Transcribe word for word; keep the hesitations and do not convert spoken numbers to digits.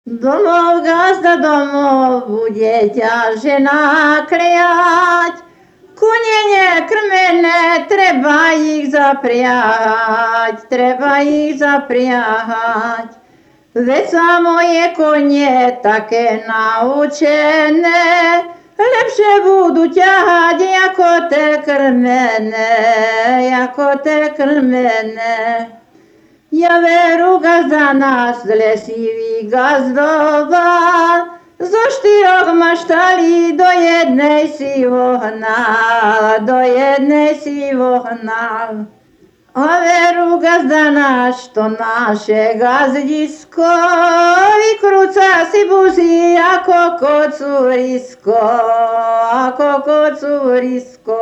Domov gazda domov bude ťaže nakliať, kone nekrmené, treba ich zapriahať, treba ich zapriahať. Veď sa moje konie také naučené, lepšie budú ťahať ako te krmené, ako te krmené. Ja veru gazda náš lesivý gazdoval, zo štyroch maštali do jednej si vohnal, do jednej si vohnal. A veru gazda náš, to naše gazdisko, vykrúca si busy ako kocúrisko, ako kocúrisko.